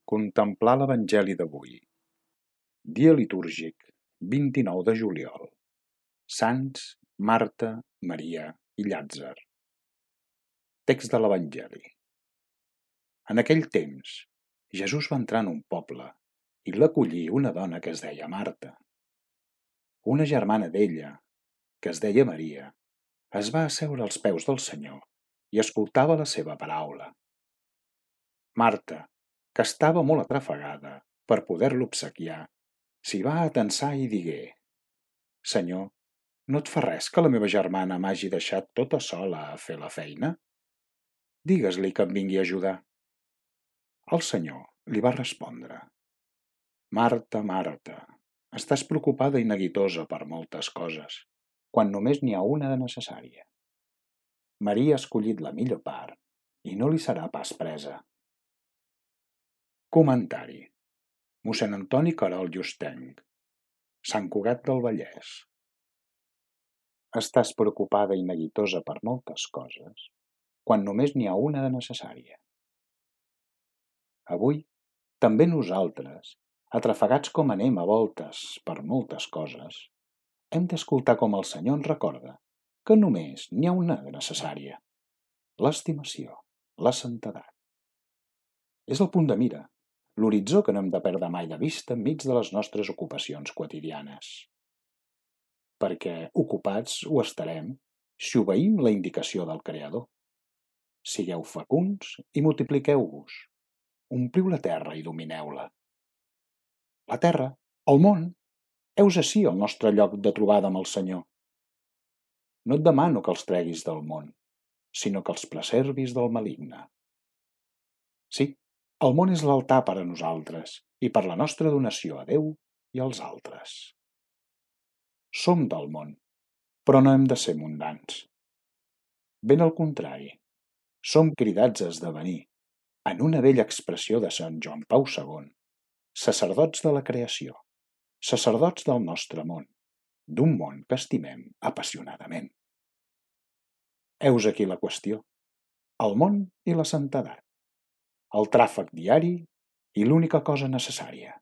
Contemplar l'Evangeli d'avui. Dia litúrgic, 29 de juliol. Sants Marta, Maria i Llàtzer. Text de l'Evangeli. En aquell temps, Jesús va entrar en un poble i l'acollí una dona que es deia Marta. Una germana d'ella, que es deia Maria, es va asseure als peus del Senyor i escoltava la seva paraula. Marta, que estava molt atrafegada per poder-lo obsequiar, s'hi va atensar i digué: Senyor, no et fa res que la meva germana m'hagi deixat tota sola a fer la feina? Digues-li que em vingui a ajudar. El Senyor li va respondre: Marta, Marta, estàs preocupada i neguitosa per moltes coses, quan només n'hi ha una de necessària. Maria ha escollit la millor part i no li serà pas presa. Comentari. Mossèn Antoni Querol Llustenc, Sant Cugat del Vallès. Estàs preocupada i neguitosa per moltes coses, quan només n'hi ha una de necessària. Avui, també nosaltres, atrafegats com anem a voltes per moltes coses, hem d'escoltar com el Senyor ens recorda que només n'hi ha una de necessària: l'estimació, la santedat. És el punt de mira, l'horitzó que no hem de perdre mai de vista enmig de les nostres ocupacions quotidianes. Perquè ocupats ho estarem si obeïm la indicació del Creador. Sigueu fecunds i multipliqueu-vos. Ompliu la terra i domineu-la. La terra, el món, heus ací el nostre lloc de trobada amb el Senyor. No et demano que els treguis del món, sinó que els preservis del maligne. Sí, el món és l'altar per a nosaltres i per la nostra donació a Déu i als altres. Som del món, però no hem de ser mundans. Ben al contrari, som cridats a esdevenir, en una vella expressió de Sant Joan Pau II, sacerdots de la creació, sacerdots del nostre món, d'un món que estimem apassionadament. Heus aquí la qüestió: el món i la santedat, el tràfic diari i l'única cosa necessària.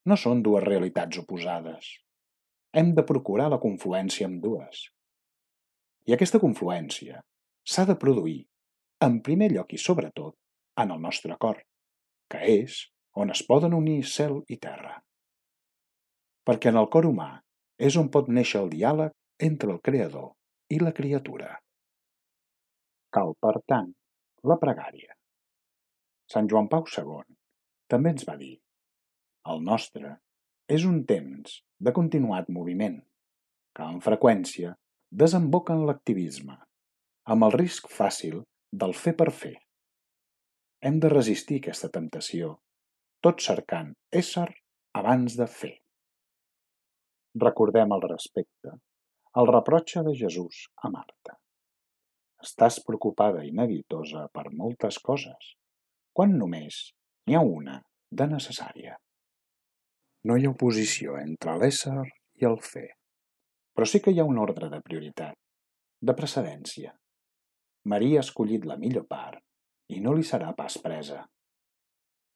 No són dues realitats oposades. Hem de procurar la confluència amb dues. I aquesta confluència s'ha de produir, en primer lloc i sobretot, en el nostre cor, que és on es poden unir cel i terra. Perquè en el cor humà és on pot néixer el diàleg entre el Creador i la criatura. Cal, per tant, la pregària. Sant Joan Pau II també ens va dir: el nostre és un temps de continuat moviment, que amb freqüència desemboca en l'activisme, amb el risc fàcil del fer per fer. Hem de resistir aquesta temptació, tot cercant ésser abans de fer. Recordem al respecte el reproche de Jesús a Marta: estàs preocupada i neguitosa per moltes coses, quan només n'hi ha una de necessària. No hi ha oposició entre l'ésser i el fer, però sí que hi ha un ordre de prioritat, de precedència. Maria ha escollit la millor part i no li serà pas presa.